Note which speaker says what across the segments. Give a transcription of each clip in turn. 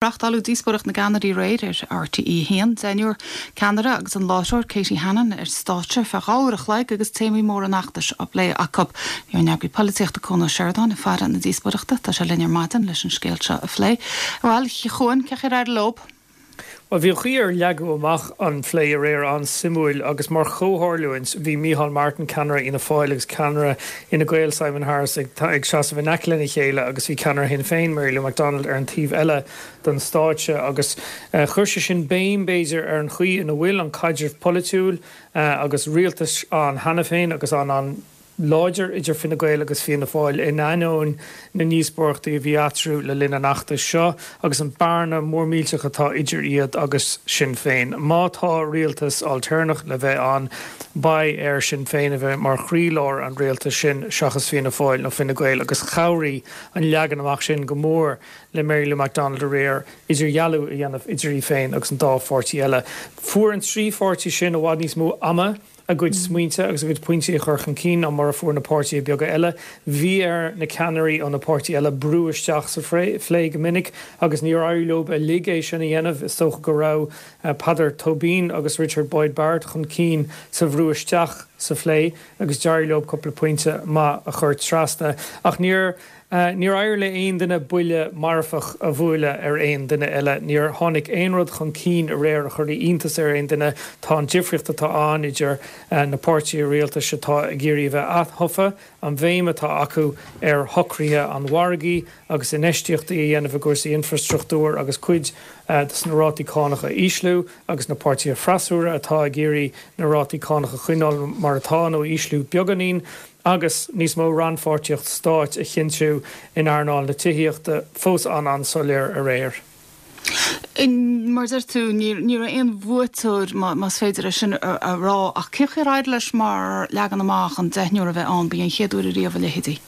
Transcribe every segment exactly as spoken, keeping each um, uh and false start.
Speaker 1: Reáchtáladh díospóireacht na gceannairí aréir ar RTÉ a haon, deichniúr ceannaire agus an láithreoir Katie Hannon ar stáitse feadh dhá uair a chloig agus téamaí móra an fheachtais á bplé acu. Bhí ár n-eagraí polaitíochta Cuan Ó Seireadáin ag faire na díospóireachta, tá sé linn ar maidin leis an scéal seo a phlé. Bhuel, a Chuain, cén chaoi ar éirigh leo?
Speaker 2: Well, bhí an chaoi ar leagadh amach an phlé aréir an-suimiúil agus mar chomhtharlúint bhí Micheál Martin ceannaire Fhianna Fáil agus ceannaire Fhine Gael Simon Harris ag, ag seasamh in aice lena chéile agus bhí ceannaire Shinn Féin Mary Lou McDonald ar an taobh eile den stáitse agus uh, chuir sé sin béim b'fhéidir ar an chaoi ina bhfuil an caidreamh polaitiúil uh, agus rialtais ann cheana féin agus an an láidir idir Fine Gael agus Fianna Fáil in ainneoin na ndíospóireachtaí a bhí eatarthu le linn an fheachtais seo agus an bearna mór millteach atá idir iad agus Sinn Féin. Má tá rialtas ailtéarnach le bheith ann beidh ar Sinn Féin a bheith mar chroílár an rialtais sin seachas Fianna Fáil nó Fine Gael agus chabhraigh an leagan amach sin go mór le Mary Lou McDonald aréir idirdhealú a dhéanamh idir í féin agus an dá pháirtí eile. Fuair an trí pháirtí sin i bhfad níos mó ama a gcuid smaointe agus a gcuid pointí a chur chun cinn ná mar a fuair na páirtithe beaga eile. Bhí ar na ceannairí ó na páirtithe eile brú isteach sa phlé go minic agus níor éirigh leo uilig é sin a dhéanamh is dócha go raibh uh, Peadar Tóibín agus Richard Boyd Barrett chun cinn sa bhrú isteach sa phlé agus d'éirigh leo cúpla pointe maith a chur trasna ach níor Uh, níor éirigh le aon duine buille marfach a bhualadh ar aon duine eile, níor tháinig aon rud chun cinn aréir a chuir iontas ar aon duine tá an difríocht atá ann idir uh, na páirtithe rialtais atá ag iarraidh bheith athofa, an bhéim atá acu ar shocruithe an mhargaidh agus infheistíochtaí a dhéanamh i gcúrsaí infrastruchtúir agus cuid uh, de na rátaí cánach a ísliú agus na páirtithe freasúra atá ag iarraidh na rátaí cánach a choinneáil mar atá nó ísliú beagáinín agus níos mó rannpháirtíocht stáit a chinntiú in earnáil na tithíochta fós an an-soiléir aréir.
Speaker 1: Mar deir tú ní aon bhuaiteoir más féidir é sin a rá ach cén chaoi ar éirigh leis mar leagan amach an deichniúr a bheith ann b'í an chéad uair riamh a leithéidí.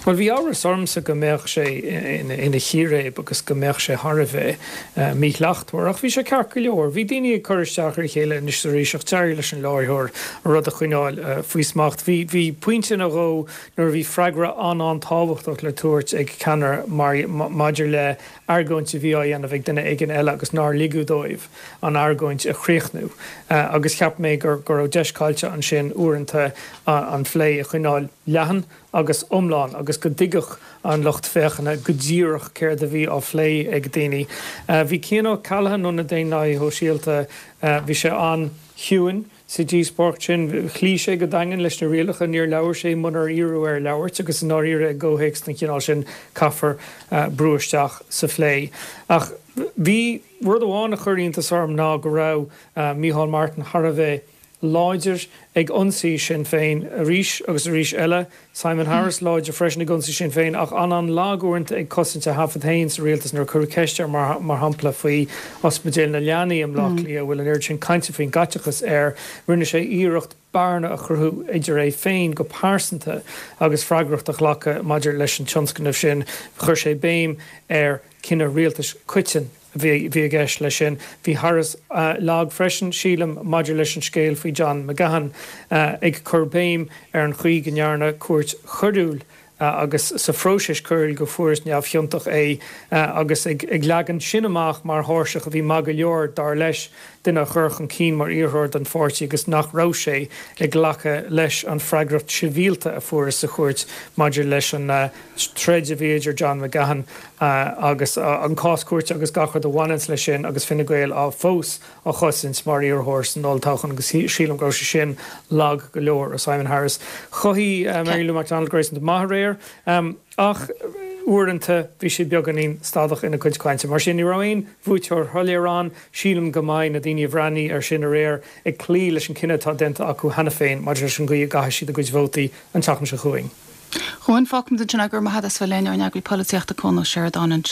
Speaker 2: Well bhí amhras ormsa go mbeadh sé ina chíréib agus go mbeadh sé thar a bheith uh, míshlachtmhar ach bhí sé ceart go leor. Bhí daoine ag cur isteach ar a chéile anois arís ach d'éirigh leis an láithreoir rud a choinneáil uh, faoi smacht. Bhí bhí pointe nó dhó nuair bhí freagra an an-tábhachtach le tabhairt ag ceannaire maidir le argóint a bhí á dhéanamh ag duine éigin eile agus nár ligeadh dóibh an argóint a chríochnú. Uh, agus cheap mé gur gur raibh deis caillte ansin uaireanta an phlé a choinneáil leathan agus iomlán agus go dtuigfeadh an lucht féachana go díreach céard a bhí á phlé ag daoine. Uh, bhí Cian O'Callaghan ó na Daonlathaithe Sóisialta uh, bhí sé an-chiúin sa díospóireacht sin chloígh sé go daingean leis na rialacha níor labhair sé munar iarradh air labhairt agus an áíre gohéics na cinál sin caithfear uh, brú isteach sa phlé. Ach bhí rud amháin a chuir iontas orm ná go raibh uh, Micheál Martin thar a bheith láidir ag ionsaí Sinn Féin arís agus arís eile Simon Harris láidir freisin ag ionsaí Sinn Féin ach an an-lag uaireanta ag cosaint a thaifead féin sa rialtas nuair a cuireadh ceist air mar, mar shampla faoi ospidéal na leanaí i mBleá mm. Cliath bhfuil an oiread sin cainte faoin gcaiteachas air rinne sé iarracht bearna a chruthú idir é féin go pearsanta agus freagracht a ghlacadh maidir leis an tionscnamh sin chuir sé béim ar cinneadh rialtais coiteann bhí bhí gceist leis sin. Bhí Harris uh, lag freisin sílim maidir leis an scéal faoi John McGahon uh, ag cur béim ar an chaoi go ndearna cúirt choiriúil uh, agus sa phróiseas coiriúil go fuarthas neamhchiontach é uh, agus ag, ag leagan sin amach mar thairseach a bhí maith go leor dar leis duine a chur chun cinn mar iarrthóir don pháirtí agus nach raibh sé ag glacadh leis an freagracht sibhialta a fuarthas sa chúirt maidir leis an uh, troid a bhí idir John McGahon uh, agus uh, an cás cúirte agus gach rud a bhaineann leis sin agus Fine Gael á fós á chosaint mar iarrthóir san olltoghchán agus sílim go raibh sé sin lag go leor ó Simon Harris. Chothaigh uh, Mary Lou McDonald gréasáin maith aréir um, ach uaireanta bhí sé beagáinín stadach ina cuid cainte. Mar sin ní raibh aon bhuaiteoir shoiléir ann sílim go mbeidh na daoine a bhreathnaigh air sin aréir ag cloí leis an cinneadh atá déanta acu cheana féin maidir leis an gcaoi a gcaithfidh siad a gcuid vótaí an tseachtain seo chugainn.
Speaker 1: Chuan fágfaimid ansin é go raibh maith agat as bheith linn ár n-eagraí polaitíochta Cuan Ó Seireadáin.